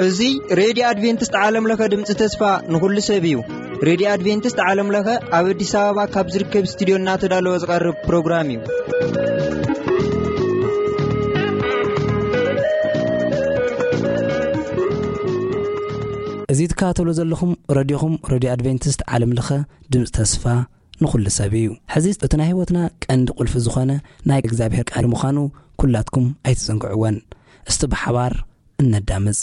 እዚ ሬድዮ ኣድቬንቲስት ዓለም ለኸ ድምፂ ተስፋ ንኹሉ ሰብ እዩ። ሬድዮ ኣድቬንቲስት ዓለም ለኸ ኣብ ኣዲስ ኣበባ ካብ ዝርከብ ስቱዲዮ እናተዳለወ ዝቐርብ ፕሮግራም እዩ። እዚ ትከታተሉ ዘለኹም ረድዮኹም ሬድዮ ኣድቬንቲስት ዓለም ለኸ ድምፂ ተስፋ ንኹሉ ሰብ እዩ። ሕዚ እቲ ናይ ህይወትና ቀንዲ ቁልፊ ዝኾነ ናይ እግዚኣብሔር ቃል ምዃኑ ኩላትኩም ኣይትዘንግዕወን። እስቲ ብሓባር እነዳምፅ።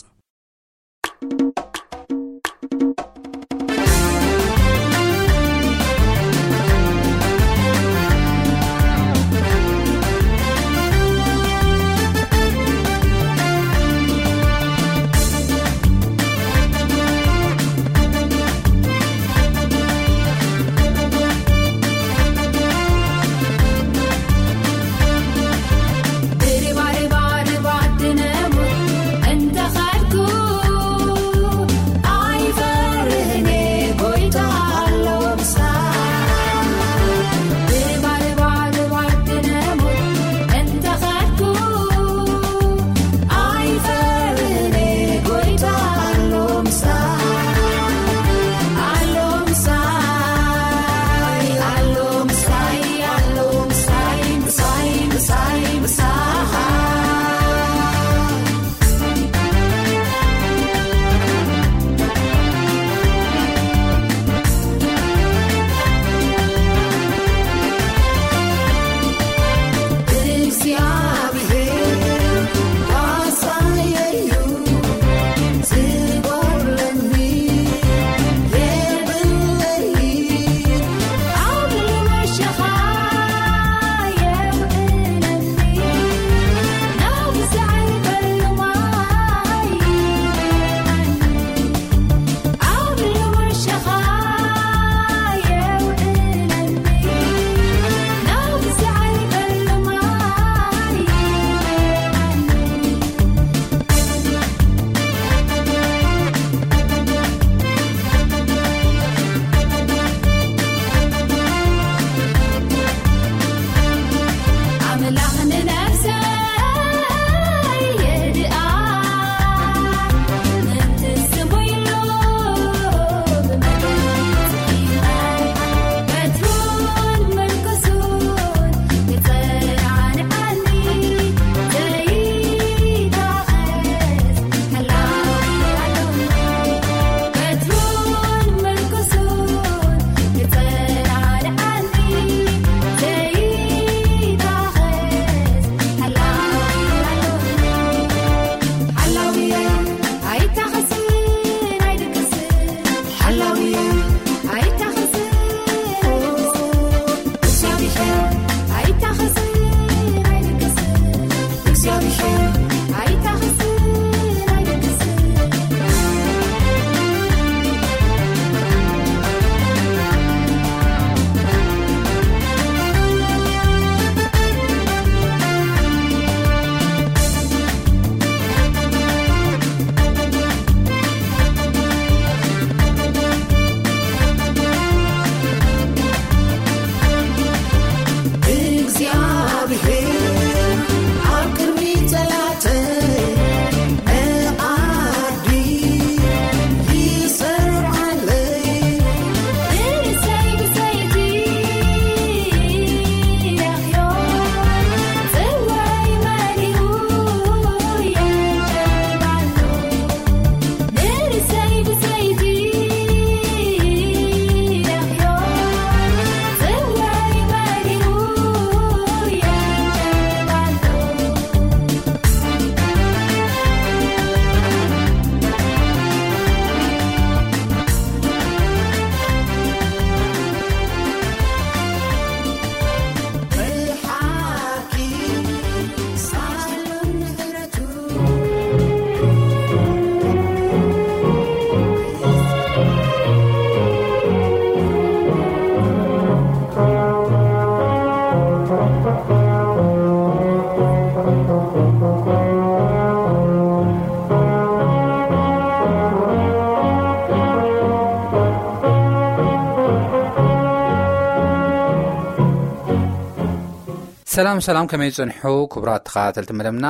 ሰላም ሰላም፣ ከመይ ጽንሑ ክቡራት ተኸታተልቲ መደብና?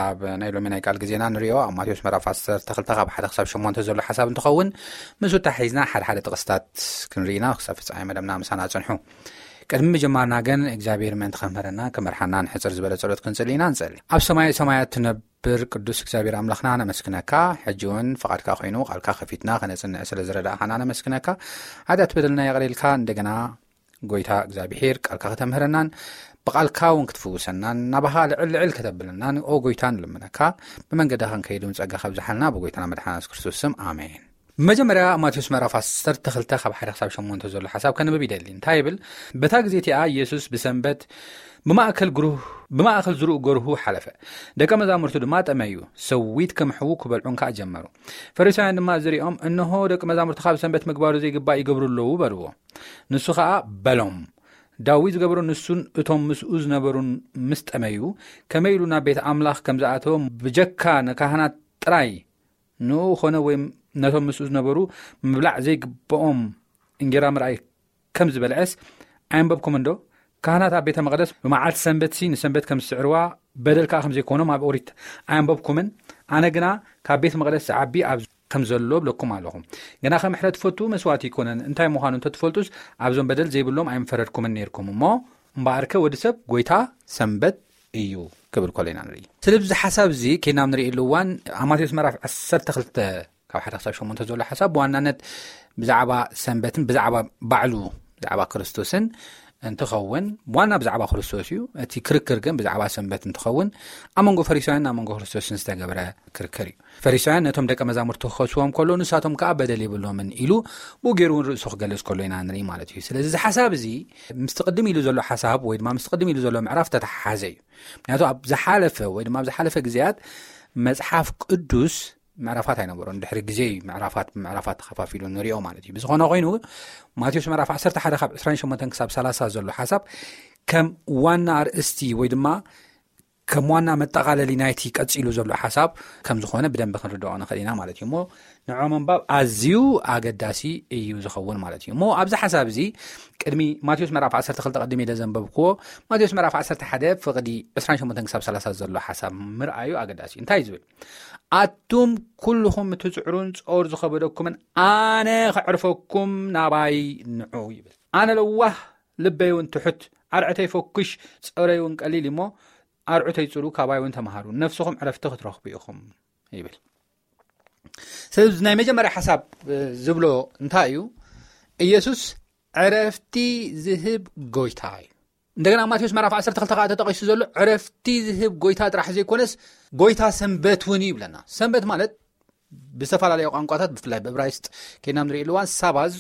ኣብ ናይ ሎሚ ናይ ቃል ግዜና ንሪኦ ኣብ ማቴዎስ ምዕራፍ ዓሰርተ ክልተ ካብ ሓደ ክሳብ ሸሞንተ ዘሎ ሓሳብ እንትኸውን፣ ምስ ተታሒዝና ሓደ ሓደ ጥቕስታት ክንርኢና ክሳብ ፍጻሜ መደብና ምሳና ጽንሑ። ቅድሚ ምጅማርና ግን እግዚኣብሔር ምእንቲ ከምህረና ክመርሓና ንሕጽር ዝበለ ጸሎት ክንጽሊ ኢና። ንጸሊ። ኣብ ሰማይ ሰማያት ትነብር ቅዱስ እግዚኣብሔር ኣምላኽና ነመስግነካ። ሕጂ እውን ፍቓድካ ኮይኑ ቃልካ ከፊትና ከነጽንዕ ስለ ዝረዳእኻና ነመስግነካ። ሓጢኣት በደልና የቕሬልካ። እንደገና ጎይታ እግዚኣብሔር ቃልካ ከተምህረናን ብቃልካ እውን ክትፍውሰናን ናባኻ ልዕል ልዕል ከተብለናን ኦ ጎይታ ንልምነካ። ብመንገዲ ክንከይድ እውን ጸጋ ከብዝሓልና ብጎይታና መድሓና የሱስ ክርስቶስ ስም ኣሜን። መጀመርያ ማቴዎስ ምዕራፍ ዓሰርተ ክልተ ካብ ሓደ ክሳብ ሸሞንተ ዘሎ ሓሳብ ከንብብ ይደሊ። እንታይ ይብል? በታ ግዜ እቲኣ ኢየሱስ ብሰንበት ብማእከል ግሩህ ብማእከል ዝሩእ ገርሁ ሓለፈ። ደቀ መዛሙርቱ ድማ ጠመዩ። ሰዊት ክምሕዉ ክበልዑን ከኣ ጀመሩ። ፈሪሳውያን ድማ ዝሪኦም፣ እንሆ ደቂ መዛሙርትኻ ብሰንበት ምግባሩ ዘይግባእ ይገብሩ ኣለዉ በልዎ። ንሱ ኸኣ በሎም፣ ዳዊት ዝገበሮ ንሱን እቶም ምስኡ ዝነበሩን ምስ ጠመዩ፣ ከመይ ኢሉ ናብ ቤት ኣምላኽ ከም ዝኣተወ ብጀካ ንካህናት ጥራይ ንኡ ኾነ ወይ ነቶም ምስኡ ዝነበሩ ምብላዕ ዘይግብኦም እንጌራ ምርኣይ ከም ዝበልዐስ ኣየንበብኩምን ዶ? ካህናት ኣብ ቤተ መቕደስ ብመዓልቲ ሰንበትሲ ንሰንበት ከም ዝስዕርዋ በደል ከኣ ከም ዘይኮኖም ኣብ ኦሪት ኣየንበብኩምን? ኣነ ግና ካብ ቤት መቕደስ ዝዓቢ ኣብ ከም ዘሎ እብለኩም ኣለኹ። ግና ከም ሕረ ትፈቱ መስዋእቲ ይኮነን። እንታይ ምዃኑ እንተትፈልጡስ ኣብዞም በደል ዘይብሎም ኣይምፈረድኩምን ነይርኩም። እሞ እምበኣርከ ወዲ ሰብ ጎይታ ሰንበት እዩ ክብል ከሎ ኢና ንርኢ። ስለዚ እዚ ሓሳብ እዚ ከይድና ኣብ ንርእየሉ እዋን ኣብ ማቴዎስ ምዕራፍ ዓሰርተ ክልተ ካብ ሓደ ክሳብ ሸሞንተ ዘሎ ሓሳብ ብዋናነት ብዛዕባ ሰንበትን ብዛዕባ ባዕሉ ብዛዕባ ክርስቶስን እንትኸውን፣ ዋና ብዛዕባ ክርስቶስ እዩ። እቲ ክርክር ግን ብዛዕባ ሰንበት እንትኸውን ኣብ መንጎ ፈሪሳውያንን ኣብ መንጎ ክርስቶስን ዝተገብረ ክርክር እዩ። ፈሪሳውያን ነቶም ደቀ መዛሙርቲ ክኸስዎም ከሎ ንሳቶም ከኣ በደል የብሎምን ኢሉ ብኡ ገይሩ እውን ርእሱ ክገልጽ ከሎ ኢና ንርኢ ማለት እዩ። ስለዚ እዚ ሓሳብ እዚ ምስቲ ቅድም ኢሉ ዘሎ ሓሳብ ወይ ድማ ምስቲ ቅድም ኢሉ ዘሎ ምዕራፍ ተተሓሓዘ እዩ። ምክንያቱ ኣብ ዝሓለፈ ወይ ድማ ኣብ ዝሓለፈ ግዜያት መጽሓፍ ቅዱስ ምዕራፋት ኣይነበሮን። ድሕሪ ግዜ እዩ ምዕራፋት ብምዕራፋት ተኸፋፊሉ ንሪኦ ማለት እዩ። ብዝኾነ ኮይኑ ማቴዎስ ምዕራፍ ዓሰርተ ሓደ ካብ ዕስራን ሸሞንተን ክሳብ ሰላሳ ዘሎ ሓሳብ ከም ዋና ኣርእስቲ ወይ ድማ ከም ዋና መጠቓለሊ ናይቲ ቀጺሉ ዘሎ ሓሳብ ከም ዝኾነ ብደንቢ ክንርድኦ ንኽእል ኢና ማለት እዩ። እሞ ንዖ ምንባብ ኣዝዩ ኣገዳሲ እዩ ዝኸውን ማለት እዩ። እሞ ኣብዚ ሓሳብ እዚ ቅድሚ ማቴዎስ ምዕራፍ ዓሰርተ ክልተ ቅድም ኢለ ዘንበብክዎ ማቴዎስ ምዕራፍ ዓሰርተ ሓደ ፍቕዲ ዕስራን ሸሞንተን ክሳብ ሰላሳ ዘሎ ሓሳብ ምርኣዩ ኣገዳሲ እዩ። እንታይ እዩ ዝብል? ኣቱም ኩልኹም እትጽዕሩን ጾር ዝኸበደኩምን ኣነ ከዕርፈኩም ናባይ ንዑ ይብል። ኣነ ለዋህ ልበይ እውን ትሑት ኣርዕተይ ፈኩሽ ጾረይ እውን ቀሊል እሞ ኣርዑተይ ጽሩ ካባይ እውን ተምሃሩ ነፍስኹም ዕረፍቲ ክትረኽቡ ኢኹም ይብል። ስለዚ ናይ መጀመርያ ሓሳብ ዝብሎ እንታይ እዩ? ኢየሱስ ዕረፍቲ ዝህብ ጎይታ እዩ። እንደገና ማቴዎስ ምዕራፍ ዓሰርተ ክልተ ከዓ ተጠቒሱ ዘሎ ዕረፍቲ ዝህብ ጎይታ ጥራሕ ዘይኮነስ ጎይታ ሰንበት እውን እዩ ይብለና። ሰንበት ማለት ብዝተፈላለዩ ቋንቋታት ብፍላይ ብእብራይስጥ ከይና ንሪእሉ እዋን ሳባዝ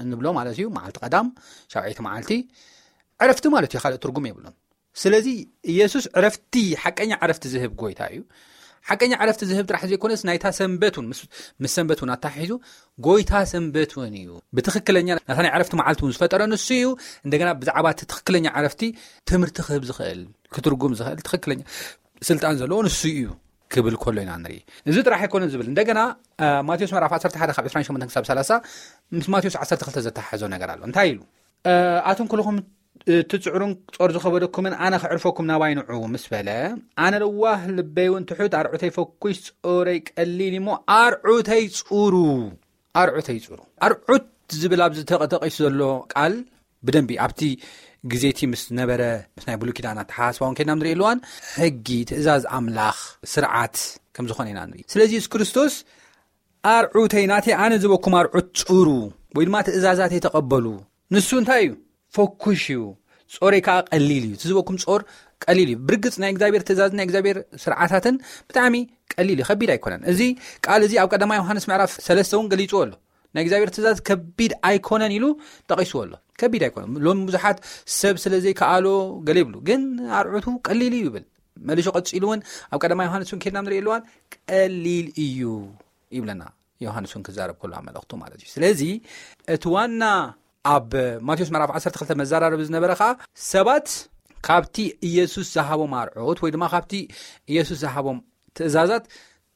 እንብሎ ማለት እዩ። መዓልቲ ቀዳም ሻውዐይቲ መዓልቲ ዕረፍቲ ማለት እዩ። ካልእ ትርጉም የብሉን። ስለዚ ኢየሱስ ዕረፍቲ ሓቀኛ ዕረፍቲ ዝህብ ጎይታ እዩ። ሓቀኛ ዕረፍቲ ዝህብ ጥራሕ ዘይኮነስ ናይታ ሰንበት እውን ምስ ሰንበት እውን ኣተሓሒዙ ጎይታ ሰንበት እውን እዩ። ብትኽክለኛ ናታ ናይ ዕረፍቲ መዓልቲ እውን ዝፈጠረ ንሱ እዩ። እንደገና ብዛዕባ እቲ ትኽክለኛ ዕረፍቲ ትምህርቲ ክህብ ዝኽእል ክትርጉም ዝኽእል ትኽክለኛ ስልጣን ዘለዎ ንሱ እዩ ክብል ከሎ ኢና ንርኢ። እዚ ጥራሕ ኣይኮነን ዝብል እንደገና ማቴዎስ ምዕራፍ ዓሰርተ ሓደ ካብ ዕስራን ሸሞንተን ክሳብ ሰላሳ ምስ ማቴዎስ ዓሰርተ ክልተ ዘተሓሓዞ ነገር ኣሎ። እንታይ ኢሉ? ኣቱም ኩልኹም ትጽዕሩን ጾር ዝኸበደኩምን ኣነ ከዕርፈኩም ናባይ ንዑ ምስ በለ ኣነ ለዋህ ልበይ እውን ትሑት ኣርዑተይ ፈኩሽ ጾረይ ቀሊል እሞ ኣርዑተይ ጽሩ ኣርዑተይ ጽሩ ኣርዑት ዝብል ኣብዚ ተጠቂሱ ዘሎ ቃል ብደንቢ ኣብቲ ግዜቲ ምስ ነበረ ምስ ናይ ብሉይ ኪዳን ኣተሓሳስባውን ከይድና ንርኢ ኣለዋን ሕጊ ትእዛዝ ኣምላኽ ስርዓት ከም ዝኾነ ኢና ንርኢ። ስለዚ የሱስ ክርስቶስ ኣርዑተይ ናተይ ኣነ ዝበኩም ኣርዑት ጽሩ ወይ ድማ ትእዛዛተይ ተቐበሉ። ንሱ እንታይ እዩ? ፈኩሽ እዩ። ጾረይ ከዓ ቀሊል እዩ። እቲ ዝበኩም ጾር ቀሊል እዩ። ብርግጽ ናይ እግዚኣብሔር ትእዛዝ ናይ እግዚኣብሔር ስርዓታትን ብጣዕሚ ቀሊል እዩ፣ ከቢድ ኣይኮነን። እዚ ቃል እዚ ኣብ ቀዳማይ ዮሃንስ ምዕራፍ ሰለስተ እውን ገሊጽዎ ኣሎ። ናይ እግዚኣብሔር ትእዛዝ ከቢድ ኣይኮነን ኢሉ ጠቒስዎ ኣሎ። ከቢድ ኣይኮነን። ሎም ብዙሓት ሰብ ስለ ዘይከኣሎ ገለ ይብሉ፣ ግን ኣርዑቱ ቀሊል እዩ ይብል። መሊሹ ቀጺሉ እውን ኣብ ቀዳማይ ዮሃንስ እውን ከድና ንርኢ ኣለዋን ቀሊል እዩ ይብለና። ዮሃንስ እውን ክዛረብ ከሎ ኣብ መልእኽቱ ማለት እዩ። ስለዚ እቲ ዋና ኣብ ማቴዎስ ምዕራፍ ዓሰርተ ክልተ መዘራረቢ ዝነበረ ከዓ ሰባት ካብቲ ኢየሱስ ዝሃቦም ኣርዑት ወይ ድማ ካብቲ ኢየሱስ ዝሃቦም ትእዛዛት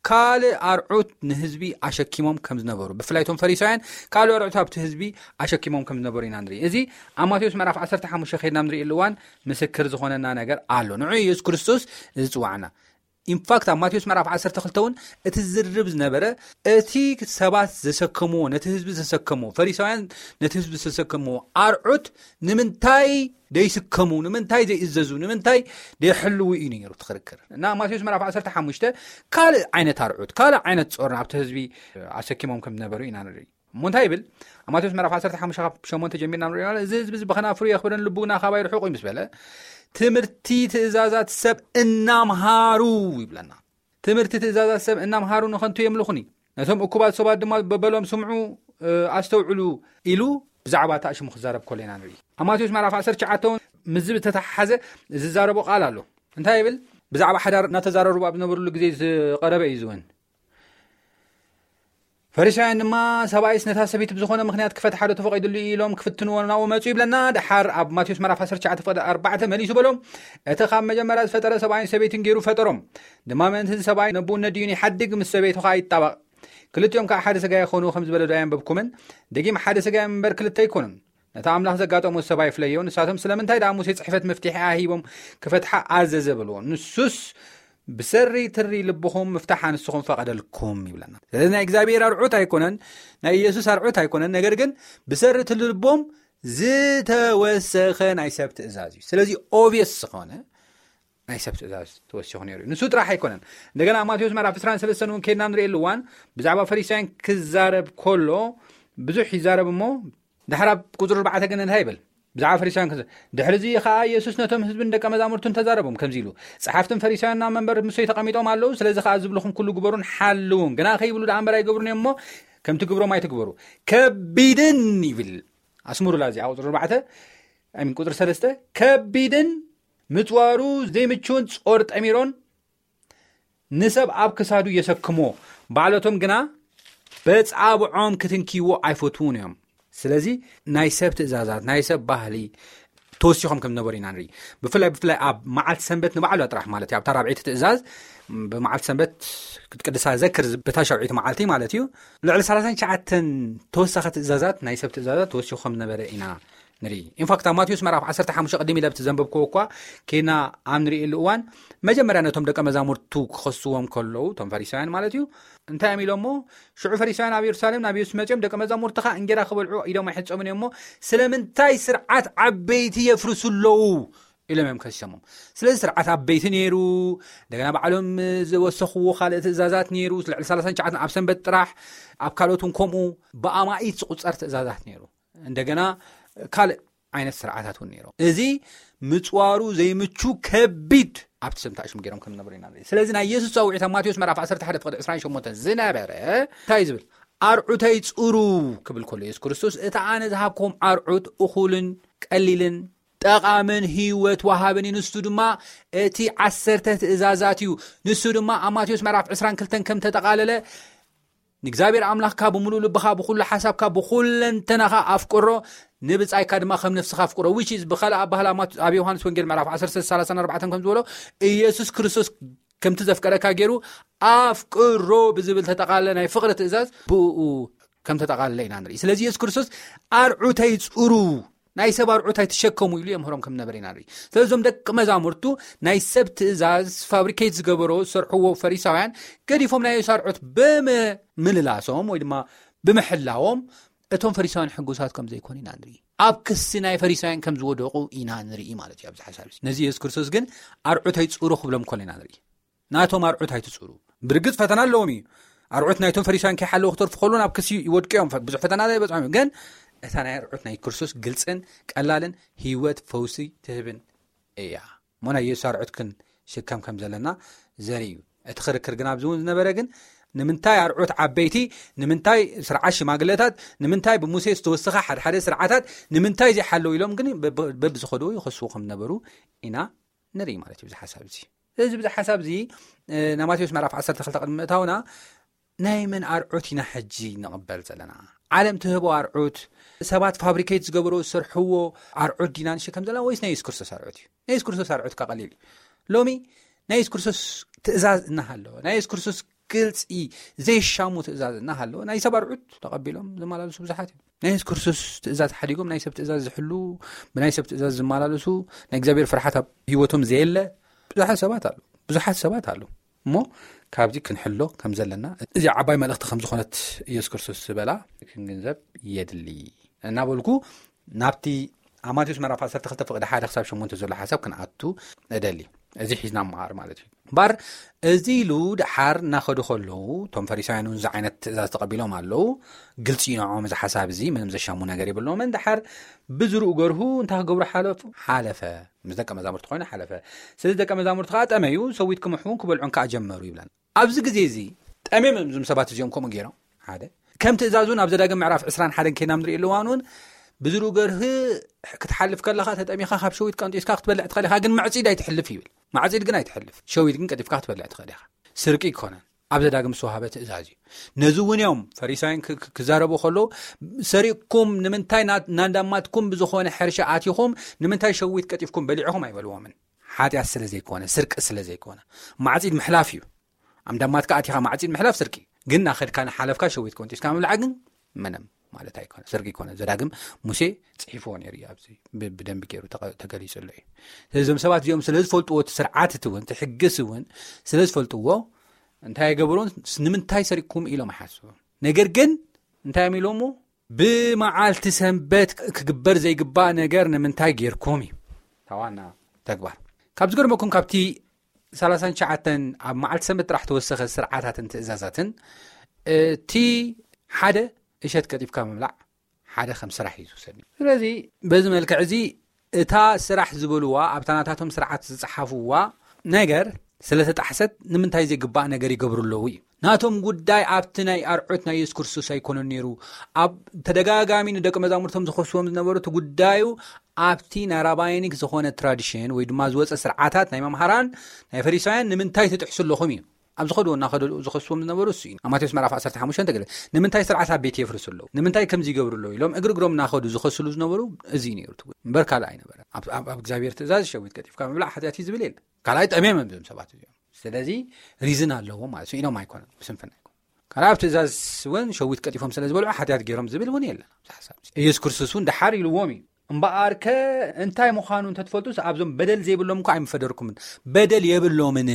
ካልእ ኣርዑት ንህዝቢ ኣሸኪሞም ከም ዝነበሩ፣ ብፍላይ እቶም ፈሪሳውያን ካልእ ኣርዑት ኣብቲ ህዝቢ ኣሸኪሞም ከም ዝነበሩ ኢና ንርኢ። እዚ ኣብ ማቴዎስ ምዕራፍ ዓሰርተ ሓሙሽተ ከድና ንርእየሉ እዋን ምስክር ዝኾነና ነገር ኣሎ። ንዑ ኢየሱስ ክርስቶስ ዝጽዋዕና። ኢንፋክት ኣብ ማቴዎስ ምዕራፍ ዓሰርተ ክልተ እውን እቲ ዝርብ ዝነበረ፣ እቲ ሰባት ዘሰከምዎ፣ ነቲ ህዝቢ ዘሰከምዎ፣ ፈሪሳውያን ነቲ ህዝቢ ዘሰከምዎ ኣርዑት ንምንታይ ደይስከሙ፣ ንምንታይ ዘይእዘዙ፣ ንምንታይ ደይሕልዉ እዩ ነይሩ እቲ ክርክር። እና ማቴዎስ ምዕራፍ ዓሰርተ ሓሙሽተ ካልእ ዓይነት ኣርዑት፣ ካልእ ዓይነት ጾር ኣብቲ ህዝቢ ኣሰኪሞም ከም ዝነበሩ ኢና ንርኢ። እሞ እንታይ ይብል? ኣብ ማቴዎስ ምዕራፍ ዓሰርተ ሓሙሽተ ካብ ሸሞንተ ጀሚርና ንሪኦ ኣለና። እዚ ህዝቢ እዚ ብኸናፍሩ የኽብረን፣ ልቡ ግና ካባይ ርሑቕ እዩ ምስ በለ፣ ትምህርቲ ትእዛዛት ሰብ እናምሃሩ ይብለና። ትምህርቲ ትእዛዛት ሰብ እናምሃሩ ንኸንቱ የምልኹኒ፣ ነቶም እኩባት ሰባት ድማ በበሎም ስምዑ፣ እ፣ ኣስተውዕሉ ኢሉ ብዛዕባ እታ ሽሙ ክዛረብ ከሎ ኢና ንርኢ። ኣብ ማቴዎስ ምዕራፍ ዓሰርተ ትሽዓተ እውን ምስዚ ዝተተሓሓዘ ዝዛረቦ ቃል ኣሎ። እንታይ ይብል? ብዛዕባ ሓዳር እናተዛረሩ ኣብ ዝነበሩሉ ግዜ ዝቐረበ እዩ ዝውን። ፈሪሳውያን ድማ፣ "ሰብኣይስ ነታ ሰበይቲ ብዝኾነ ምኽንያት ክፈትሓ ዶ ተፈቒዱሉ?" ኢሎም ክፍትንዎ ናብኡ መጹ ይብለና። ደሓር ኣብ ማቴዎስ ምዕራፍ ዓሰርተ ትሽዓተ ፍቕዲ ኣርባዕተ መሊሱ በሎም፣ "እቲ ካብ መጀመርያ ዝፈጠረ ሰብኣይን ሰበይትን ገይሩ ፈጠሮም። ድማ ምእንቲ እዚ ሰብኣይ ነብኡ ነዲኡን ይሓድግ፣ ምስ ሰበይቱ ኸኣ ይጣበቕ። ክልቲኦም ከኣ ሓደ ስጋ ይኾኑ ከም ዝበለ ዶ ኣየንበብኩምን? ደጊም ሓደ ስጋ እዮም እምበር ክልተ ኣይኮኑን። ነቲ ኣምላኽ ዘጋጠሞ ሰብ ኣይፍለዮ። ንሳቶም ስለምንታይ ደኣ ሙሴ ጽሕፈት መፍትሒ ኣሂቦም ክፈትሓ ኣዘዘ?" በልዎ። ንሱስ፣ "ብሰሪ ትሪ ልብኹም ምፍታሕ ኣንስኹም ፈቐደልኩም" ይብለና። ስለዚ ናይ እግዚኣብሔር ኣርዑት ኣይኮነን፣ ናይ ኢየሱስ ኣርዑት ኣይኮነን፣ ነገር ግን ብሰሪ ትሪ ልቦም ዝተወሰኸ ናይ ሰብ ትእዛዝ እዩ። ስለዚ ኦብየስ ዝኾነ ናይ ሰብ ትእዛዝ ተወሲኹ ነይሩ እዩ። ንሱ ጥራሕ ኣይኮነን። እንደገና ኣብ ማቴዎስ ምዕራፍ ዕስራን ሰለስተን እውን ከድና ንርእየሉ እዋን ብዛዕባ ፈሪሳውያን ክዛረብ ከሎ ብዙሕ ይዛረብ እሞ፣ ድሕር ኣብ ቁጽሪ ኣርባዕተ ግን እንታይ ይብል? ብዛዕባ ፈሪሳውያን ክዘ-፣ ድሕሪ እዚ ኸኣ ኢየሱስ ነቶም ህዝብን ደቀ መዛሙርቱን ተዛረቦም ከምዚ ኢሉ፣ "ጸሓፍትን ፈሪሳውያን ኣብ መንበር ሙሴ ተቐሚጦም ኣለዉ፣ ስለዚ ኸኣ ዝብልኹም ኩሉ ግበሩን ሓልዉን፣ ግና ከይብሉ ደኣ እምበር ኣይገብሩን እዮም እሞ፣ ከምቲ ግብሮም ኣይትግበሩ። ከቢድን" ይብል። ኣስምሩላ እዚኣ ቁጽሪ ኣርባዕተ፣ ኣይ ሚን ቁጽሪ ሰለስተ፣ "ከቢድን ምጽዋሩ ዘይምችውን ጾር ጠሚሮን ንሰብ ኣብ ክሳዱ የሰክሞ፣ ባዕለቶም ግና በጻብዖም ክትንኪዎ ኣይፈትዉን እዮም።" ስለዚ ናይ ሰብ ትእዛዛት፣ ናይ ሰብ ባህሊ ተወሲኾም ከም ዝነበሩ ኢና ንርኢ። ብፍላይ፣ ብፍላይ ኣብ መዓልቲ ሰንበት ንባዕሉ ጥራሕ ማለት እዩ። ኣብታ ራብዐይቲ ትእዛዝ ብመዓልቲ ሰንበት ክትቅድሳ ዘክር፣ በታ ሻውዒቲ መዓልቲ ማለት እዩ። ልዕሊ ሰላሳን ትሽዓተን ተወሳኺ ትእዛዛት፣ ናይ ሰብ ትእዛዛት ተወሲኹ ከም ዝነበረ ኢና ንርኢ። ኢንፋክት ኣብ ማቴዎስ ምዕራፍ ዓሰርተ ሓሙሽተ ቅድም ኢለ ኣብቲ ዘንበብክዎ እኳ ኬና ኣብ ንርእየሉ እዋን፣ መጀመርያ ነቶም ደቀ መዛሙርቱ ክኸስዎም ከለዉ፣ እቶም ፈሪሳውያን ማለት እዩ፣ እንታይ እዮም ኢሎሞ? ሽዑ ፈሪሳውያን ኣብ የሩሳሌም ናብ የሱስ መጺኦም፣ "ደቀ መዛሙርትኻ እንጌራ ክበልዑ ኢዶም ኣይሕጸቡን እዮም እሞ፣ ስለምንታይ ስርዓት ዓበይቲ የፍርሱ ኣለዉ?" ኢሎም እዮም ከሲሶሞም። ስለዚ ስርዓት ዓበይቲ ነይሩ፣ እንደገና ባዕሎም ዝወሰኽዎ ካልእ ትእዛዛት ነይሩ፣ ልዕሊ ሰላሳን ትሽዓተን ኣብ ሰንበት ጥራሕ፣ ኣብ ካልኦት እውን ከምኡ ብኣማኢት ዝቑጸር ትእዛዛት ነይሩ። እንደገና ካልእ ዓይነት ስርዓታት እውን ነይሩ። እዚ ምጽዋሩ ዘይምቹ ከቢድ ኣብቲ ሰብ እንታይ ሽሙ ገይሮም ከም ዝነበሩ ኢና ንርኢ። ስለዚ ናይ የሱስ ጻውዒት ኣብ ማቴዎስ ምዕራፍ ዓሰርተ ሓደ ፍቕዲ ዕስራን ሸሞንተን ዝነበረ እንታይ እዩ ዝብል? "ኣርዑተይ ጽሩ" ክብል ከሎ የሱስ ክርስቶስ፣ እቲ ኣነ ዝሃብኩም ኣርዑት እኹልን ቀሊልን ጠቓምን ህይወት ወሃብን እዩ። ንሱ ድማ እቲ ዓሰርተ ትእዛዛት እዩ። ንሱ ድማ ኣብ ማቴዎስ ምዕራፍ ዕስራን ክልተን ከም ተጠቓለለ፣ "ንእግዚኣብሔር ኣምላኽካ ብምሉእ ልብኻ፣ ብኹሉ ሓሳብካ፣ ብኹለንተናኻ ኣፍቅሮ፣ ንብጻይካ ድማ ከም ነፍስኻ ኣፍቅሮ"፣ which is ብኻልእ ኣባህላ ኣብ ማት-፣ ኣብ ዮሃንስ ወንጌል ምዕራፍ ዓሰርተ ሰላሳን ኣርባዕተን ከም ዝበሎ፣ ኢየሱስ ክርስቶስ ከምቲ ዘፍቀረካ ገይሩ ኣፍቅሮ ብዝብል ተጠቓለለ ናይ ፍቕሪ ትእዛዝ ብኡ ከም ተጠቓለለ ኢና ንርኢ። ስለዚ የሱስ ክርስቶስ "ኣርዑተይ ጽሩ፣ ናይ ሰብ ኣርዑት ኣይትሸከሙ" ኢሉ የምህሮም ከም ነበረ ኢና ንርኢ። ስለዚ እዞም ደቂ መዛሙርቱ ናይ ሰብ ትእዛዝ ፋብሪኬት ዝገበሮ ዝሰርሕዎ ፈሪሳውያን ገዲፎም ናይ የሱስ ኣርዑት ብምምልላሶም ወይ ድማ ብምሕላዎም እቶም ፈሪሳውያን ሕጉሳት ከም ዘይኮኑ ኢና ንርኢ። ኣብ ክሲ ናይ ፈሪሳውያን ከም ዝወደቑ ኢና ንርኢ ማለት እዩ። ኣብዚ ሓሳብ እዚ ነዚ የሱስ ክርስቶስ ግን "ኣርዑተይ ጽሩ" ክብሎም ከሎ ኢና ንርኢ። ናቶም ኣርዑት ኣይትጽሩ። ብርግጽ ፈተና ኣለዎም እዩ። ኣርዑት ናይቶም ፈሪሳውያን ከይሓለዉ ክተርፉ ከለዉ ናብ ክሲ ይወድቁ እዮም። ብዙሕ ፈተና ይበጽሖም እዩ። ግን እታ ናይ ኣርዑት ናይ ክርስቶስ ግልጽን ቀላልን ህይወት ፈውሲ ትህብን እያ። እሞ ናይ የሱስ ኣርዑት ክንሽከም ከም ዘለና ዘርኢ እዩ። እቲ ክርክር ግን ኣብዚ እውን ዝነበረ ግን ንምንታይ ኣርዑት ዓበይቲ፣ ንምንታይ ስርዓት ሽማግለታት፣ ንምንታይ ብሙሴ ዝተወሰኸ ሓደ ሓደ ስርዓታት ንምንታይ ዘይሓለዉ ኢሎም ግን በብ-፣ በብዝኸድዎ ይኸስዎ ከም ዝነበሩ ኢና ንርኢ ማለት እዩ። እዚ ሓሳብ እዚ፣ እዚ፣ እዚ ሓሳብ እዚ፣ እ፣ ናብ ማቴዎስ ምዕራፍ ዓሰርተ ክልተ ቅድሚ ምእታውና፣ ናይ መን ኣርዑት ኢና ሕጂ ንቕበል ዘለና? ዓለም ትህቦ ኣርዑት፣ ሰባት ፋብሪኬት ዝገበሮ ዝሰርሕዎ ኣርዑት ዲና ንሽከም ዘለና ወይስ ናይ የሱስ ክርስቶስ ኣርዑት እዩ? ናይ የሱስ ክርስቶስ ኣርዑት እካ ቀሊል እዩ። ሎሚ ናይ የሱስ ክርስቶስ ትእዛዝ እናሃለወ፣ ናይ የሱስ ክርስቶስ ግልፂ ዘይሻሙ ትእዛዝ እናሃለወ ናይ ሰብ ኣርዑት ተቐቢሎም ዝመላለሱ ብዙሓት እዮም። ናይ የሱስ ክርስቶስ ትእዛዝ ሓዲጎም ናይ ሰብ ትእዛዝ ዝሕሉ፣ ብናይ ሰብ ትእዛዝ ዝመላለሱ፣ ናይ እግዚኣብሔር ፍርሓት ኣብ ህይወቶም ዘየለ ብዙሓት ሰባት ኣለዉ። ብዙሓት ሰባት ኣለዉ። እሞ ካብዚ ክንሕሎ ከም ዘለና፣ እዚ ዓባይ መልእኽቲ ከም ዝኾነት ኢየሱስ ክርስቶስ ዝበላ ክንግንዘብ የድሊ እናበልኩ፣ ናብቲ ኣብ ማቴዎስ ምዕራፍ ዓሰርተ ክልተ ፍቕዲ ሓደ ክሳብ ሸሞንተ ዘሎ ሓሳብ ክንኣቱ እደሊ። እዚ ሒዝና መሃር ማለት እዩ። እምበኣር እዚ ኢሉ ደሓር እናኸዱ ከለዉ፣ እቶም ፈሪሳውያን እውን እዚ ዓይነት ትእዛዝ ተቐቢሎም ኣለዉ። ግልፂ እዩ ንዕኦም እዚ ሓሳብ እዚ፣ ምንም ዘሻሙ ነገር የብሎምን። ደሓር ብዝርኡ ገርሁ እንታይ ክገብሩ ሓለፉ? ሓለፈ። ምስ ደቀ መዛሙርቲ ኮይኑ ሓለፈ። ስለዚ ደቀ መዛሙርቲ ከዓ ጠመዩ፣ ሰዊት ክምሕውን ክበልዑን ከዓ ጀመሩ ይብለና። ኣብዚ ግዜ እዚ ጠምዮም እዮም እዞም ሰባት እዚኦም ከምኡ ገይሮም። ሓደ፣ ከም ትእዛዙ ናብ ዘዳግም ምዕራፍ ዕስራን ሓደን ከይና ንሪእሉ እዋን እውን ብዝርኡ ገርህ ክትሓልፍ ከለኻ ተጠሚኻ ካብ ሸዊት ቀንጢስካ ክትበልዕ ትኽእል ኢኻ፣ ግን ማዕጺድ ኣይትሕልፍ ይብል። ማዕጺድ ግን ኣይትሕልፍ፣ ሸዊት ግን ቀጢፍካ ክትበልዕ ትኽእል ኢኻ። ስርቂ ኣይኮነን፣ ኣብ ዘዳግም ዝተዋህበ ትእዛዝ እዩ። ነዚ እውን እዮም ፈሪሳውያን ክ-፣ ክ-፣ ክዛረቡ ከለዉ፣ ሰሪቕኩም ንምንታይ ና-፣ ናንዳማትኩም ብዝኾነ ሕርሻ ኣቲኹም ንምንታይ ሸዊት ቀጢፍኩም በሊዕኹም ኣይበልዎምን። ሓጢኣት ስለ ዘይኮነ፣ ስርቂ ስለ ዘይኮነ፣ ማዕጺድ ምሕላፍ እዩ። ኣምዳማትካ ኣቲኻ ማዕጺድ ምሕላፍ ስርቂ፣ ግን ናኸድካ ንሓለፍካ ሸዊት ቆንጢስካ ምብላዕ ግን ምንም ማለት ኣይኮነ፣ ስርቂ ኣይኮነ። ዘዳግም ሙሴ ጽሒፍዎ ነይሩ እዩ፣ ኣብዚ ብ-፣ ብደንቢ ገይሩ ተቐ-፣ ተገሊጹ ኣሎ እዩ። ስለዚ እዞም ሰባት እዚኦም ስለ ዝፈልጥዎ፣ እቲ ስርዓት እቲ እውን፣ እቲ ሕግስ እውን ስለ ዝፈልጥዎ፣ እንታይ ይገብሩን? ስ-፣ ንምንታይ ሰሪቅኩም ኢሎም ኣይሓስቡን። ነገር ግን እንታይ እዮም ኢሎሞ? ብመዓልቲ ሰንበት ክ-፣ ክግበር ዘይግባእ ነገር ንምንታይ ጌርኩም እዩ? እታ ዋና ተግባር። ካብ ዝገርመኩም፣ ካብቲ ሰላሳን ትሽዓተን ኣብ መዓልቲ ሰንበት ጥራሕ ተወሰኸ ስርዓታትን ትእዛዛትን፣ እቲ ሓደ እሸት ቀጢፍካ ምብላዕ ሓደ ከም ስራሕ እዩ ዝውሰድ። ስለዚ በዚ መልክዕ እዚ እታ ስራሕ ዝበልዋ፣ ኣብታ ናታቶም ስርዓት ዝጸሓፍዋ ነገር ስለ ተጣሕሰት ንምንታይ ዘይግባእ ነገር ይገብሩ ኣለዉ እዩ። ናቶም ጉዳይ ኣብቲ ናይ ኣርዑት ናይ የሱስ ክርስቶስ ኣይኮነን ነይሩ። ኣብ ተደጋጋሚ ንደቂ መዛሙርቶም ዝኸስዎም ዝነበሩ፣ እቲ ጉዳዩ ኣብቲ ናይ ራባይኒክ ዝኾነ ትራዲሽን ወይ ድማ ዝወጸ ስርዓታት ናይ መምሃራን ናይ ፈሪሳውያን ንምንታይ ትጥሕሱ ኣለኹም እዩ። ኣብ ዝኸድዎ እናኸደሉ ዝኸስዎም ዝነበሩ እሱ እዩ። ኣብ ማቴዎስ ምዕራፍ ዓሰርተ ሓሙሽተ ተገለ፣ ንምንታይ ስርዓት ኣብ ቤት የፍርሱ ኣለዉ? ንምንታይ ከምዚ ይገብሩ ኣለዉ? ኢሎም እግሪ እግሮም እናኸዱ ዝኸስሉ ዝነበሩ እዚ እዩ ነይሩ ትጉ-፣ እምበር ካልእ ኣይነበረ። ኣብ፣ ኣብ፣ ኣብ እግዚኣብሔር ትእዛዝ ሸዊት ቀጢፍካ ምብላዕ ሓጢኣት እዩ ዝብል የለን። ካልኣይ ጠምዮም እዮም እዞም ሰባት እዚኦም። ስለዚ ሪዝን ኣለዎም ማለት እዩ። ኢሎም ኣይኮነን፣ ብስንፍና ኣይኮነን። ካልኣይ ኣብ ትእዛዝ እውን ሸዊት ቀጢፎም ስለ ዝበልዑ ሓጢኣት ገይሮም ዝብል እውን የለን ኣብዚ ሓሳብ እዚ። ኢየሱስ ክርስቶስ እውን ደሓር ኢልዎም እዩ። እምበኣርከ እንታይ ምዃኑ እንተትፈልጡስ ኣብዞም በደል ዘይብሎም እኳ ኣይምፈደርኩምን። በደል የብሎምን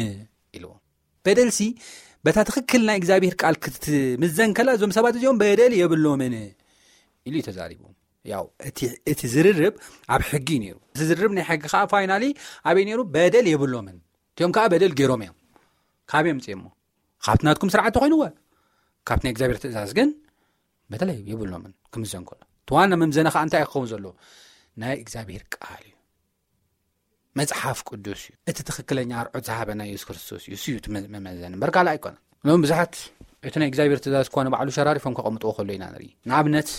ኢልዎም። በደልሲ በታ ትኽክል ናይ እግዚኣብሔር ቃል ክትምዘን ከላ እዞም ሰባት እዚኦም በደል የብሎምን ኢሉ እዩ ተዛሪቡ። ያው እቲ፣ እቲ ዝርርብ ኣብ ሕጊ እዩ ነይሩ። እቲ ዝርርብ ናይ ሕጊ ከዓ ፋይናሊ ኣበይ ነይሩ? በደል የብሎምን። እቲኦም ከዓ በደል ገይሮም እዮም። ካብ እዮም ምፅኦሞ? ካብቲ ናትኩም ስርዓት ተኾይንዎ፣ ካብቲ ናይ እግዚኣብሔር ትእዛዝ ግን በደል የብሎምን ክምዘን ከሎ። እቲ ዋና መምዘኒ ከዓ እንታይ ክኸውን ዘለዎ? ናይ እግዚኣብሔር ቃል እዩ። መጽሓፍ ቅዱስ እዩ። እቲ ትኽክለኛ ኣርዑት ዝሃበና የሱስ ክርስቶስ እዩ። እሱ እዩ እቲ መ-፣ መመዘኒ እምበር ካልእ ኣይኮነን። ሎም ብዙሓት እቲ ናይ እግዚኣብሔር ትእዛዝ እኳ ንባዕሉ ሸራሪፎም ከቐምጥዎ ከሎ ኢና ንርኢ። ንኣብነት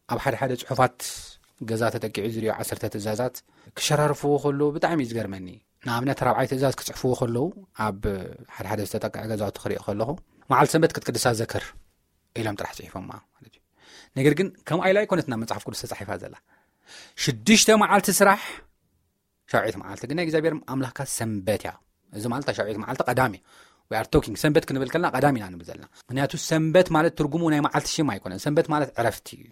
ኣብ ሓደ ሓደ ጽሑፋት ገዛ ተጠቂዑ ዝሪኦ ዓሰርተ ትእዛዛት ክሸራርፍዎ ከሎ ብጣዕሚ እዩ ዝገርመኒ። ንኣብነት ራብዓይ ትእዛዝ ክጽሕፍዎ ከለዉ ኣብ ሓደ ሓደ ዝተጠቅዐ ገዛውቲ ክሪኦ ከለኹ፣ "መዓልቲ ሰንበት ክትቅድሳ ዘክር" ኢሎም ጥራሕ ጽሒፎማ ማለት እዩ። ነገር ግን ከምኣ ኢላ ኣይኮነትና መጽሓፍ ቅዱስ ተጻሒፋ ዘላ። "ሽዱሽተ መዓልቲ ስራሕ፣ ሻውዒት መዓልቲ ግን ናይ እግዚኣብሔር ኣምላኽካ ሰንበት እያ።" እዚ ማለት እታ ሻውዒት መዓልቲ ቀዳም እያ። We are talking ሰንበት ክንብል ከለና ቀዳም ኢና ንብል ዘለና። ምክንያቱ ሰንበት ማለት ትርጉሙ ናይ መዓልቲ ሽም ኣይኮነን። ሰንበት ማለት ዕረፍቲ እዩ።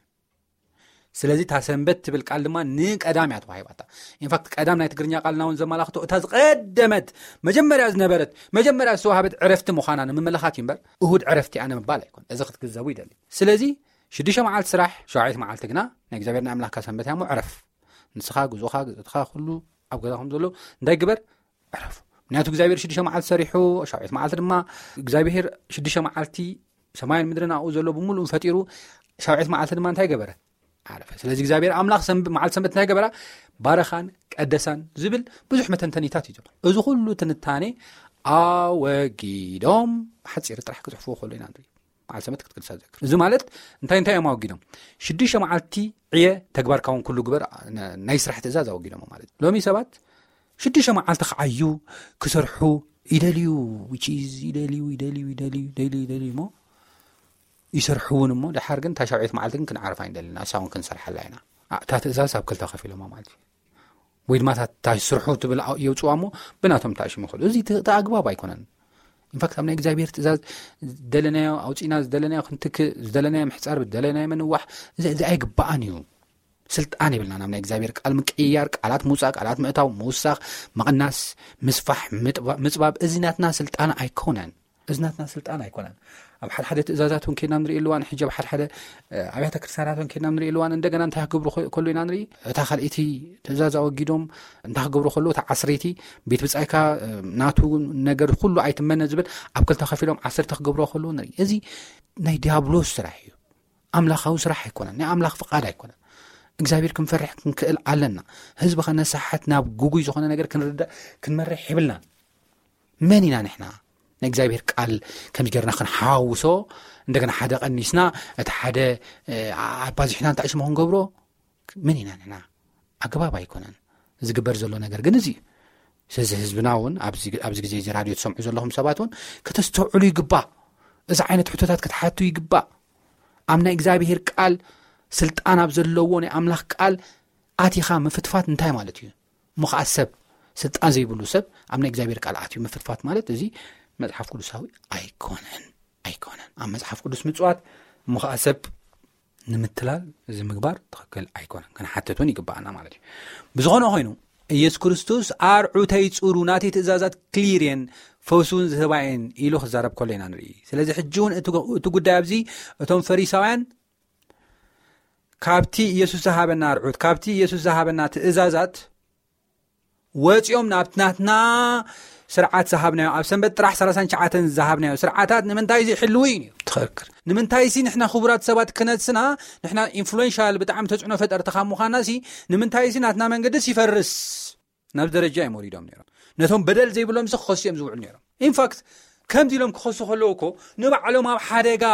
ስለዚ እታ ሰንበት ትብል ቃል ድማ ንቀዳም እያ ተዋሂባታ። ኢንፋክት ቀዳም ናይ ትግርኛ ቃልና እውን ዘመላኽቶ እታ ዝቀደመት፣ መጀመርያ ዝነበረት፣ መጀመርያ ዝተዋህበት ዕረፍቲ ምዃና ንምምልኻት እዩ እምበር እሁድ ዕረፍቲ እያ ንምባል ኣይኮን። እዚ ክትግንዘቡ ይደሊ። ስለዚ ሽዱሽተ መዓልቲ ስራሕ፣ ሸውዓይቲ መዓልቲ ግና ናይ እግዚኣብሔር ናይ ኣምላኽካ ሰንበት እያ እሞ ዕረፍ። ንስኻ፣ ጉዞኻ፣ ግዝእትኻ፣ ኩሉ ኣብ ገዛ ከም ዘሎ እንታይ ግበር? ዕረፍ። ምክንያቱ እግዚኣብሔር ሽዱሽተ መዓልቲ ሰሪሑ፣ ሻውዒት መዓልቲ ድማ እግዚኣብሔር ሽዱሽተ መዓልቲ ሰማይን ምድርን ኣብኡ ዘሎ ብምሉኡ ፈጢሩ፣ ሻውዒት መዓልቲ ድማ እንታይ ገበረ? ዓረፈ። ስለዚ እግዚኣብሔር ኣምላኽ ሰንብ-፣ መዓልቲ ሰንበት እንታይ ገበራ? ባረኻን ቀደሳን ዝብል ብዙሕ መተንተኒታት እዩ ዘሎ። እዚ ኩሉ ትንታኔ ኣወጊዶም ብሓጺር ጥራሕ ክጽሕፍዎ ከሎ ኢና ንርኢ። መዓልቲ ሰንበት ክትቅድሳ ዘክር። እዚ ማለት እንታይ እንታይ እዮም ኣወጊዶም? ሽዱሽተ መዓልቲ ዕየ፣ ተግባርካ እውን ኩሉ ግበር፣ ነ-፣ ናይ ስራሕ ትእዛዝ ኣወጊዶም ማለት እዩ። ሎሚ ሰባት ሽዱሽተ መዓልቲ ክዓዩ፣ ክሰርሑ ይደልዩ፣ which is ይደልዩ፣ ይደልዩ፣ ይደልዩ፣ ይደልዩ፣ ይደልዩ እሞ ይሰርሑ እውን እሞ፣ ደሓር ግን እታ ሻውዒት መዓልቲ ግን ክንዓርፍ ኣይንደልን፣ ንሳ እውን ክንሰርሓላ ኢና። ኣ-፣ እታ ትእዛዝ ኣብ ክልተ ከፊሎማ ማለት እዩ። ወይ ድማ እታ፣ እታ ስርሑ ትብል ኣ-፣ የውፅዋ እሞ ብናቶም ተኣሽሙ ይኸዱ። እዚ እቲ፣ እቲ ኣግባብ ኣይኮነን። ኢንፋክት ኣብ ናይ እግዚኣብሔር ትእዛዝ ዝደለናዮ ኣውፂና ዝደለናዮ ክንትክእ ዝደለናዮ ምሕፃር ዝደለናዮ ምንዋሕ እዚ እዚ ኣይግባኣን እዩ። ስልጣን የብልና ናብ ናይ እግዚኣብሔር ቃል ምቅይያር ቃላት ምውፃእ ቃላት ምእታው ምውሳኽ ምቕናስ ምስፋሕ ምጥባ- ምፅባብ እዚ ናትና ስልጣን ኣይኮነን። እዚ ናትና ስልጣን ኣይኮነን። ኣብ ሓደ ሓደ ትእዛዛት እውን ከይድና ንርኢ ኣለዋን ሕጂ ኣብ ሓደ ሓደ እ፣ ኣብያተ ክርስቲያናት እውን ከይድና ንርኢ ኣለዋን እንደገና እንታይ ክገብሩ ከ- ከሎ ኢና ንርኢ። እታ ካልኣይቲ ትእዛዝ ኣወጊዶም እንታይ ክገብሩ ከሎ እታ ዓስረይቲ ቤት ብፃይካ እ፣ ናቱ ነገር ኩሉ ኣይትመነ ዝብል ኣብ ክልተ ከፊሎም ዓሰርተ ክገብሩ ከሎ ንርኢ። እዚ ናይ ዲያብሎስ ስራሕ እዩ። ኣምላኻዊ ስራሕ ኣይኮነን። ናይ ኣምላኽ ፍቓድ ኣይኮነን። እግዚኣብሔር ክንፈርሕ ክንክእል ኣለና። ህዝቢ ከነሳሓት ናብ ጉጉይ ዝኾነ ነገር ክንርዳእ ክንመርሕ ይብልናን። መን ኢና ንሕና ንእግዚኣብሔር ቃል ከምዚ ጌርና ክንሓውሶ እንደገና ሓደ ቀኒስና እቲ ሓደ እ፣ ኣባዚሕና እንታይ ሽሞ ክንገብሮ? መን ኢና ንሕና? ኣገባብ ኣይኮነን። ዝግበር ዘሎ ነገር ግን እዚ እዩ። ስለዚ ህዝብና እውን ኣብዚ ኣብዚ ግዜ እዚ ራድዮ ትሰምዑ ዘለኹም ሰባት እውን ከተስተውዕሉ ይግባእ። እዚ ዓይነት ሕቶታት ክትሓቱ ይግባእ። ኣብ ናይ እግዚኣብሔር ቃል ስልጣን ኣብ ዘለዎ ናይ ኣምላኽ ቃል ኣቲኻ ምፍትፋት እንታይ ማለት እዩ? እሞ ከዓ ሰብ ስልጣን ዘይብሉ ሰብ ኣብ ናይ እግዚኣብሔር ቃል ኣትዩ ምፍትፋት ማለት እዚ መጽሓፍ ቅዱሳዊ ኣይኮነን። ኣይኮነን ኣብ መጽሓፍ ቅዱስ ምጽዋት። እሞ ከዓ ሰብ ንምትላል እዚ ምግባር ትኽክል ኣይኮነን። ክንሓትት እውን ይግባኣና ማለት እዩ። ብዝኾነ ኮይኑ ኢየሱስ ክርስቶስ ኣርዑተይ ጽሩ ናተይ ትእዛዛት ክሊር እየን ፈውስ እውን ዝህባ እየን ኢሉ ክዛረብ ከሎ ኢና ንርኢ። ስለዚ ሕጂ እውን እቲ እቲ ጉዳይ ኣብዚ እቶም ፈሪሳውያን ካብቲ ኢየሱስ ዝሃበና ኣርዑት ካብቲ ኢየሱስ ዝሃበና ትእዛዛት ወፂኦም ናብቲ ናትና ስርዓት ዝሃብናዮ ኣብ ሰንበት ጥራሕ ሰላሳን ትሽዓተን ዝሃብናዮ ስርዓታት ንምንታይ ዘይሕልው እዩ ነይሩ? ትኽክል። ንምንታይ ሲ ንሕና ክቡራት ሰባት ክነስና ንሕና ኢንፍሉዌንሻል ብጣዕሚ ተፅዕኖ ፈጠርቲ ካብ ምዃና ሲ ንምንታይ ሲ ናትና መንገድስ ይፈርስ ናብ ደረጃ እዮም ወሪዶም ነይሮም። ነቶም በደል ዘይብሎም ሲ ክኸሱ እዮም ዝውዕሉ ነይሮም። ኢንፋክት ከምዚ ኢሎም ክኸሱ ከለዉ እኮ ንባዕሎም ኣብ ሓደጋ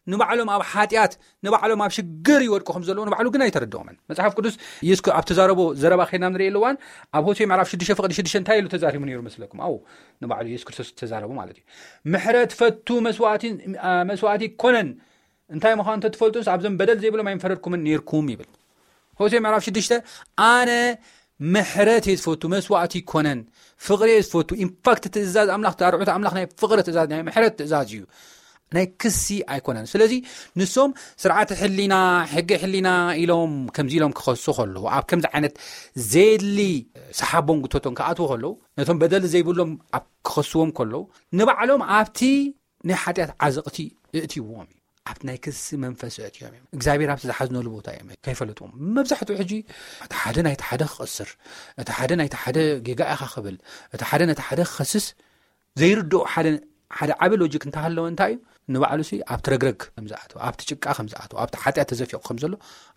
ንባዕሎም ኣብ ሓጢኣት ንባዕሎም ኣብ ሽግር ይወድቁ ከም ዘለዉ ንባዕሉ ግን ኣይተረድኦምን። መጽሓፍ ቅዱስ ኢየሱስ ኣብ ተዛረቦ ዘረባ ኸይና ንርኢ ኣለዋን ኣብ ሆሴ ምዕራፍ ሽዱሽተ ፍቕዲ ሽዱሽተ እንታይ ኢሉ ተዛሪቡ ነይሩ መስለኩም? ኣው ንባዕሉ ኢየሱስ ክርስቶስ ተዛረቡ ማለት እዩ። ምሕረት ፈቱ መስዋእቲ መስዋእቲ ኮነን እንታይ ምዃኑ እንተትፈልጡስ ኣብዞም በደል ዘይብሎም ኣይምፈረድኩምን ነይርኩም ይብል። ሆሴ ምዕራፍ ሽዱሽተ ኣነ ምሕረት እየ ዝፈቱ መስዋእቲ ይኮነን ፍቕሪ እየ ዝፈቱ። ኢንፋክት ትእዛዝ ኣምላኽ ኣርዑት ኣምላኽ ናይ ፍቕሪ ትእዛዝ ናይ ምሕረት ትእዛዝ እዩ ናይ ክሲ ኣይኮነን። ስለዚ ንሶም ስርዓተ ሕሊና ሕጊ ሕሊና ኢሎም ከምዚ ኢሎም ክኸሱ ከለዉ ኣብ ከምዚ ዓይነት ዘየድሊ ሰሓቦም ጉተቶም ክኣትዉ ከለዉ ነቶም በደል ዘይብሎም ኣብ ክኸስዎም ከለዉ ንባዕሎም ኣብቲ ናይ ሓጢኣት ዓዘቕቲ እእትይዎም እዩ። ኣብቲ ናይ ክሲ መንፈስ እእትዮም እዮም እግዚኣብሔር ኣብቲ ዝሓዝነሉ ቦታ እዮም ከይፈለጥዎም። መብዛሕትኡ ሕጂ እቲ ሓደ ናይቲ ሓደ ክቐስር እቲ ሓደ ናይቲ ሓደ ጌጋ ኢኻ ክብል እቲ ሓደ ነቲ ሓደ ክኸስስ ዘይርድኦ ሓደ ሓደ ዓቢ ሎጂክ እንተሃለወ እንታይ እዩ ንባዕሉ ሲ ኣብቲ ረግረግ ከምዝኣተው ኣብቲ ጭቃ ከምዝኣተው ኣብቲ ሓጢኣት ተዘፊቑ ከም ዘሎ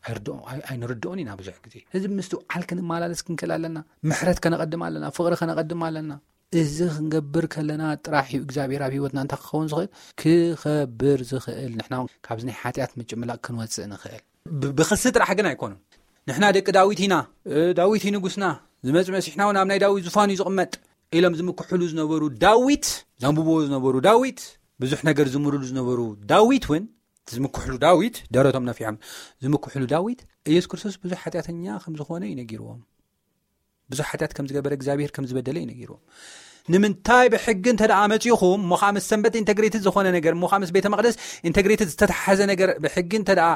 ኣይርድኦ ኣይንርድኦን ኢና። ብዙሕ ግዜ ህዝቢ ምስትውዓል ክንመላለስ ክንክእል ኣለና። ምሕረት ከነቐድም ኣለና። ፍቕሪ ከነቐድም ኣለና። እዚ ክንገብር ከለና ጥራሕ እዩ እግዚኣብሔር ኣብ ህይወትና እንታይ ክኸውን ዝኽእል ክኸብር ዝኽእል ንሕና እውን ካብዚ ናይ ሓጢኣት ምጭምላቕ ክንወፅእ ንኽእል። ብክሲ ጥራሕ ግን ኣይኮኑን። ንሕና ደቂ ዳዊት ኢና፣ ዳዊት እዩ ንጉስና፣ ዝመፅ መሲሕና እውን ኣብ ናይ ዳዊት ዙፋን እዩ ዝቕመጥ ኢሎም ዝምክሕሉ ዝነበሩ ዳዊት ዘንብብዎ ዝነበሩ ዳዊት ብዙሕ ነገር ዝምርሉ ዝነበሩ ዳዊት እውን ዝምክሕሉ ዳዊት ደረቶም ነፊሖም ዝምክሕሉ ዳዊት ኢየሱስ ክርስቶስ ብዙሕ ሓጢኣተኛ ከም ዝኾነ እዩ ነጊርዎም። ብዙሕ ሓጢኣት ከም ዝገበረ እግዚኣብሔር ከም ዝበደለ እዩ ነጊርዎም። ንምንታይ ብሕጊ እንተ ደኣ መጺኹም እሞ ከዓ ምስ ሰንበት ኢንተግሬትድ ዝኾነ ነገር እሞ ከዓ ምስ ቤተ መቕደስ ኢንተግሬትድ ዝተተሓዘ ነገር ብሕጊ እንተ ደኣ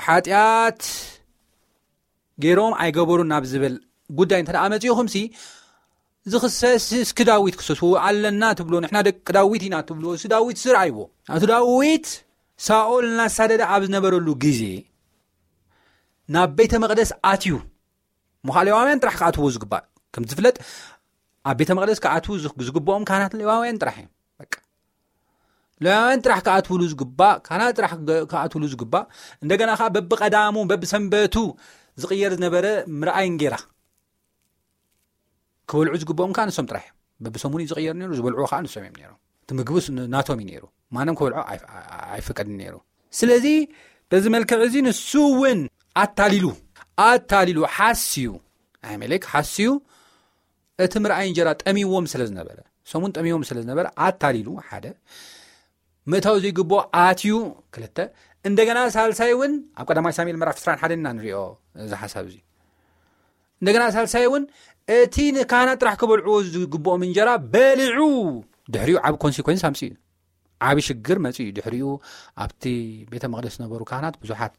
ሓጢኣት ገይሮም ኣይገበሩን ናብ ዝብል ጉዳይ እንተ ደኣ መጺኹም ሲ ዝኽሰስ እስኪ ዳዊት ክሰስዎ ኣለና ትብሎ ንሕና ደቂ ዳዊት ኢና ትብሎ እሱ ዳዊት ስር ኣይዎ ኣቶ ዳዊት ሳኦል እናሳደደ ኣብ ዝነበረሉ ግዜ ናብ ቤተ መቕደስ ኣትዩ ምዃ ሌዋውያን ጥራሕ ክኣትዎ ዝግባእ ከም ዝፍለጥ ኣብ ቤተ መቕደስ ክኣትዉ ዝግብኦም ካህናት ሌዋውያን ጥራሕ እዮም። ሌዋውያን ጥራሕ ክኣትውሉ ዝግባእ ካህናት ጥራሕ ክኣትውሉ ዝግባእ እንደገና ከዓ በብቀዳሙ በብሰንበቱ ዝቕየር ዝነበረ ምርኣይ እንጌራ ክበልዑ ዝግብኦም ከዓ ንሶም ጥራሕ እዮም። በብሰሙኑ ዝቕየር ነሩ ዝበልዑ ከዓ ንሶም እዮም ነሮም። እቲ ምግቢ ናቶም እዩ ነሩ። ማንም ክበልዖ ኣይፈቀድን ነሩ። ስለዚ በዚ መልክዕ እዚ ንሱ እውን ኣታሊሉ ኣታሊሉ ሓስዩ ኣሜሌክ ሓስዩ እቲ ምርኣይ እንጀራ ጠሚዎም ስለ ዝነበረ ሰሙን ጠሚዎም ስለ ዝነበረ ኣታሊሉ ሓደ ምእታው ዘይግብኦ ኣትዩ ክልተ እንደገና ሳልሳይ እውን ኣብ ቀዳማይ ሳሙኤል ምዕራፍ ዕስራን ሓደን ኢና ንሪኦ እዚ ሓሳብ እዚ እንደገና ሳልሳይ እውን እቲ ንካህናት ጥራሕ ክበልዕዎ ዝግብኦም እንጀራ በሊዑ ድሕሪኡ ዓብ ኮንሲኮንስ ኣምፅኡ እዩ። ዓብ ሽግር መፅኡ እዩ። ድሕሪኡ ኣብቲ ቤተ መቅደስ ዝነበሩ ካህናት ብዙሓት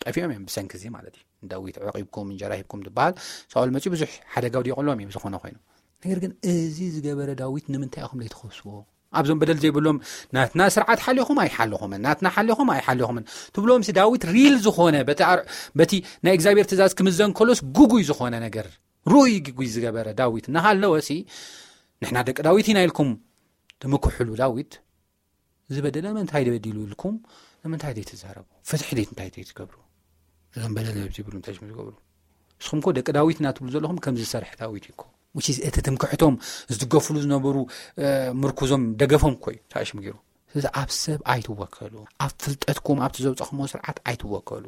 ጠፊኦም እዮም ብሰንኪ እዚ ማለት እዩ። ንዳዊት ዕቂብኩም እንጀራ ሂብኩም ዝበሃል ሳኦል መፅኡ ብዙሕ ሓደጋ ውዲቑሎም እዩ ብዝኾነ ኮይኑ። ነገር ግን እዚ ዝገበረ ዳዊት ንምንታይ ኢኹም ዘይትኸስዎ? ኣብዞም በደል ዘይብሎም ናትና ስርዓት ሓሊኹም ኣይሓለኹምን፣ ናትና ሓሊኹም ኣይሓለኹምን ትብሎም ሲ ዳዊት ሪል ዝኾነ በቲ ኣር- በቲ ናይ እግዚኣብሔር ትእዛዝ ክምዘን ከሎስ ጉጉይ ዝኾነ ነገር ርኡይ ጉጉይ ዝገበረ ዳዊት እናሃለወ ሲ ንሕና ደቂ ዳዊት ኢና ኢልኩም ትምክሕሉ ዳዊት ዝበደለ ምንታይ በዲሉ ኢልኩም ንምንታይ ዘይትዛረቡ? ፍትሒ ደይ እንታይ ዘይትገብሩ? እዞም በደል ነብዚ ይብሉ እንታይ ሽም ዝገብሩ? ንስኹም ኮ ደቂ ዳዊት እናትብሉ ዘለኹም ከም ዝሰርሐ ዳዊት እዩ እኮ። Which is እቲ ትምክሕቶም ዝድገፍሉ ዝነበሩ ምርኩዞም ደገፎም እኮ እዩ ተኣሽሙ ገይሩ። ስለዚ ኣብ ሰብ ኣይትወከሉ። ኣብ ፍልጠትኩም ኣብቲ ዘውፀኹሞ ስርዓት ኣይትወከሉ።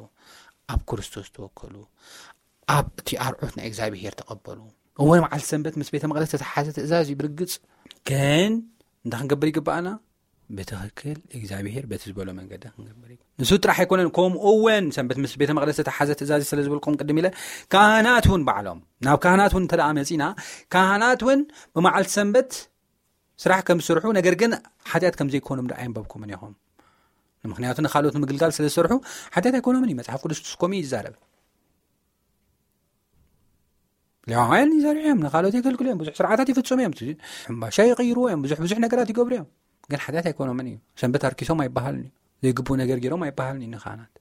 ኣብ ክርስቶስ ተወከሉ። ኣብ እቲ ኣርዑት ናይ እግዚኣብሄር ተቐበሉ። እወ መዓልቲ ሰንበት ምስ ቤተ መቕደስ ተተሓዘ ትእዛዝ እዩ ብርግጽ። ግን እንታይ ክንገብር ይግባኣና? ብትኽክል እግዚኣብሄር በቲ ዝበሎ መንገዲ ክንገብር ይግባእ። ንሱ ጥራሕ ኣይኮነን፣ ከምኡ እውን ሰንበት ምስ ቤተ መቕደስ ተተሓዘ ትእዛዝ ስለ ዝበልኩም ቅድም ኢለ ካህናት እውን ባዕሎም ናብ ካህናት እውን እንተ ደኣ መጺና ካህናት እውን ብመዓልቲ ሰንበት ስራሕ ከም ዝሰርሑ ነገር ግን ሓጢኣት ከም ዘይኮኖም ደኣ ኣየንበብኩምን ኢኹም። ምክንያቱ ንኻልኦት ንምግልጋል ስለ ዝሰርሑ ሓጢኣት ኣይኮኖምን እዩ። መጽሓፍ ቅዱስ ከምኡ እዩ ዝዛረብ። ሌዋውያን ይዘርዑ እዮም፣ ንኻልኦት የገልግሉ እዮም፣ ብዙሕ ስርዓታት ይፍጽሙ እዮም፣ ሕምባሻ ይቕይሩ እዮም፣ ብዙሕ ብዙሕ ነገራት ይገብሩ እዮም። ግን ሓጢኣት ኣይኮኖምን እዩ። ሰንበት ኣርኪሶም ኣይበሃልን እዩ። ዘይግብኡ ነገር ገይሮም ኣይበሃልን እዩ ንካህናት።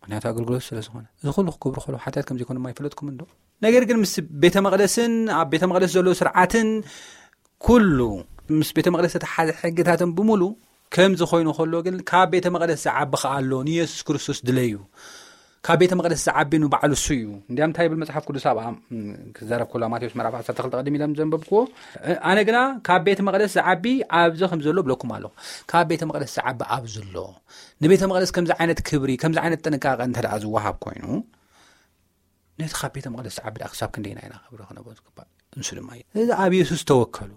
ምክንያቱ ኣገልግሎት ስለ ዝኾነ። እዚ ኩሉ ክገብሩ ከለዉ ሓጢኣት ከም ዘይኮኖም ኣይፈለጥኩምን ዶ? ነገር ግን ምስ ቤተ መቕደስን ኣብ ቤተ መቕደስ ዘሎ ስርዓትን ኩሉ ምስ ቤተ መቕደስ ዝተሓዘ ሕግታትን ብምሉ ከም ዝኾይኑ ከሎ ግን ካብ ቤተ መቕደስ ዝዓቢ ከኣ ኣሎ። ንየሱስ ክርስቶስ ድለዩ። ካብ ቤተ መቕደስ ዝዓቢ ንባዕሉ እሱ እዩ። እንዲያም እንታይ ይብል መጽሓፍ ቅዱስ ኣብ ኣም- ክዛረብ ከሎ ማቴዎስ ምዕራፍ ዓሰርተ ክልተ ቅድም ኢሎም ዘንበብክዎ፣ ኣነ ግና ካብ ቤተ መቕደስ ዝዓቢ ኣብዚ ከም ዘሎ ብለኩም ኣለኹ። ካብ ቤተ መቕደስ ዝዓቢ ኣብዚ ኣሎ። ንቤተ መቕደስ ከምዚ ዓይነት ክብሪ ከምዚ ዓይነት ጥንቃቐ እንተ ደኣ ዝወሃብ ኮይኑ ነቲ ካብ ቤተ መቕደስ ዝዓቢ ደኣ ክሳብ ክንደይና ኢና ክብሪ ክነቦ ዝግባእ? ንሱ ድማ እዩ። ስለዚ ኣብ የሱስ ተወከሉ፣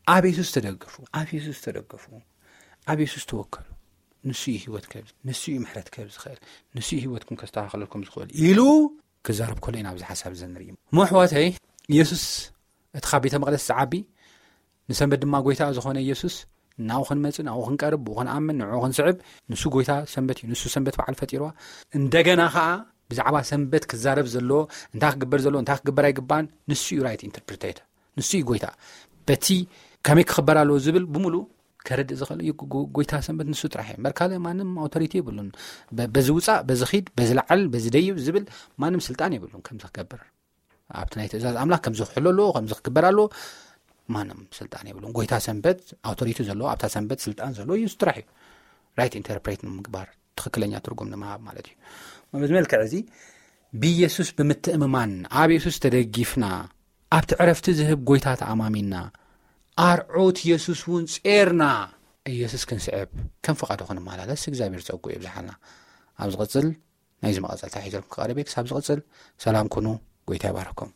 ኣብ የሱስ ተደገፉ፣ ኣብ የሱስ ተደገፉ፣ ኣብ የሱስ ተወከሉ። ንሱ እዩ ህይወት ከብዝ፣ ንሱ እዩ ምሕረት ከብዝ ዝኽእል፣ ንሱ እዩ ህይወትኩም ከስተኻኽለልኩም ዝኽእል ኢሉ ክዛረብ ከሎ ኢና ኣብዚ ሓሳብ እዚ ንርኢ። እሞ ኣሕዋተይ፣ የሱስ እቲ ካብ ቤተ መቕደስ ዝዓቢ ንሰንበት ድማ ጎይታ ዝኾነ ኢየሱስ ናብኡ ክንመጽእ፣ ናብኡ ክንቀርብ፣ ብኡ ክንኣምን፣ ንዕኡ ክንስዕብ፣ ንሱ ጎይታ ሰንበት እዩ። ንሱ ሰንበት በዓል ፈጢርዋ። እንደገና ኸኣ ብዛዕባ ሰንበት ክዛረብ ዘለዎ፣ እንታይ ክግበር ዘለዎ፣ እንታይ ክግበር ኣይግባን፣ ንሱ እዩ ራይት ኢንተርፕሪቴተር። ንሱ እዩ ጎይታ። በቲ ከመይ ክኽበር ኣለዎ ዝብል ብምሉእ ከረድእ ዝኽእል እዩ። ጎ- ጎይታ ሰንበት ንሱ ጥራሕ እዩ። እምበር ካልእ ማንም ኣውቶሪቲ የብሉን። በ- በዚ ውጻእ፣ በዚ ኺድ፣ በዚ ለዓል፣ በዚ ደይብ ዝብል ማንም ስልጣን የብሉን ከምዚ ክገብር። ኣብቲ ናይ ትእዛዝ ኣምላኽ ከምዚ ክሕሎ ኣለዎ፣ ከምዚ ክግበር ኣለዎ፣ ማንም ስልጣን የብሉን። ጎይታ ሰንበት ኣውቶሪቲ ዘለዎ፣ ኣብታ ሰንበት ስልጣን ዘለዎ ኢየሱስ ጥራሕ እዩ። ራይት ኢንተርፕሬት ንምግባር፣ ትኽክለኛ ትርጉም ንምሃብ ማለት እዩ። በዚ መልክዕ እዚ ብኢየሱስ ብምትእምማን፣ ኣብ ኢየሱስ ተደጊፍና፣ ኣብቲ ዕረፍቲ ዝህብ ጎይታ ተኣማሚንና፣ ኣርዑት ኢየሱስ እውን ጼርና፣ ኢየሱስ ክንስዕብ ከም ፍቓዱ ክንመላለስ እግዚኣብሔር ጸጉ የብዝሓልና። ኣብ ዝቕጽል ናይዚ መቐጸልታ ሒዘልኩም ክቐርብ እየ። ክሳብ ዝቕጽል ሰላም ኩኑ። ጎይታ ይባርኩም።